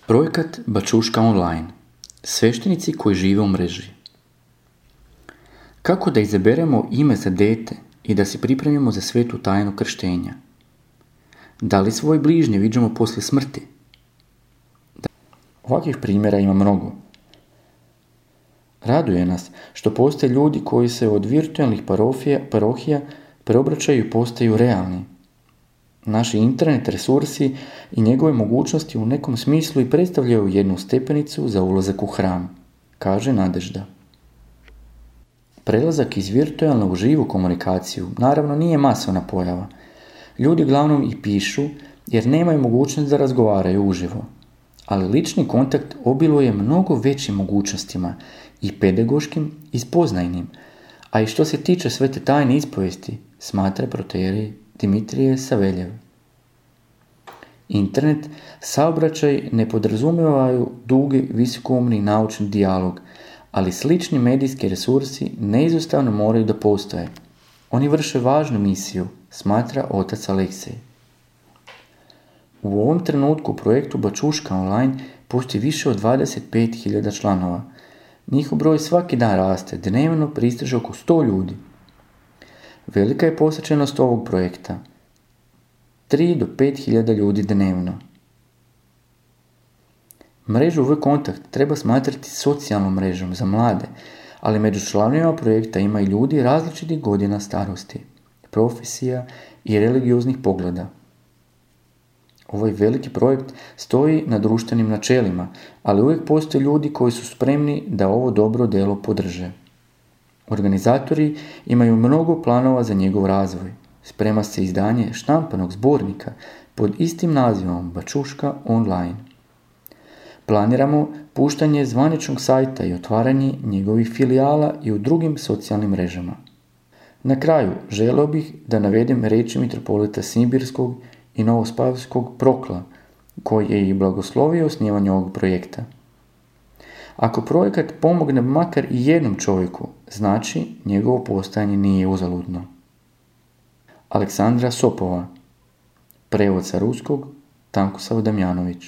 Projekat Bačuška online. Sveštenici koji žive u mreži. Kako da izaberemo ime za dete i da se pripremimo za svetu tajnu krštenja? Da li svoj bližnje viđamo poslije smrti? Ovakvih primjera ima mnogo. Raduje nas što postoje ljudi koji se od virtualnih parohija preobraćaju i postaju realni. Naši internet resursi i njegove mogućnosti u nekom smislu i predstavljaju jednu stepenicu za ulazak u hram, kaže Nadežda. Prelazak iz virtualne u živu komunikaciju naravno nije masovna pojava. Ljudi uglavnom i pišu jer nemaju mogućnost da razgovaraju uživo. Ali lični kontakt obiluje mnogo većim mogućnostima i pedagoškim i spoznajnim, a i što se tiče sve te tajne ispovesti, smatra protoijerej Dimitrije Saveljev. Internet, saobraćaj ne podrazumijevaju dugi, visokoumni naučni dijalog, ali slični medijski resursi neizostavno moraju da postoje. Oni vrše važnu misiju, smatra otac Aleksej. U ovom trenutku u projektu Bačuška online postoji više od 25.000 članova. Njihov broj svaki dan raste, dnevno pristiže oko 100 ljudi. Velika je posjećenost ovog projekta. 3 do 5.000 ljudi dnevno. Mrežu V-Kontakt treba smatrati socijalnom mrežom za mlade, ali među članovima projekta ima i ljudi različitih godina starosti, profesija i religioznih pogleda. Ovaj veliki projekt stoji na društvenim načelima, ali uvijek postoje ljudi koji su spremni da ovo dobro djelo podrže. Organizatori imaju mnogo planova za njegov razvoj. Sprema se izdanje štampanog zbornika pod istim nazivom Bačuška online. Planiramo puštanje zvaničnog sajta i otvaranje njegovih filijala i u drugim socijalnim mrežama. Na kraju želeo bih da navedem riječi mitropolita Simbirskog i Novospavskog Prokla, koji je i blagoslovio osnivanje ovog projekta. Ako projekat pomogne makar i jednom čovjeku, znači njegovo postojanje nije uzaludno. Aleksandra Sopova. Prevod sa ruskog Tankosav Damjanović.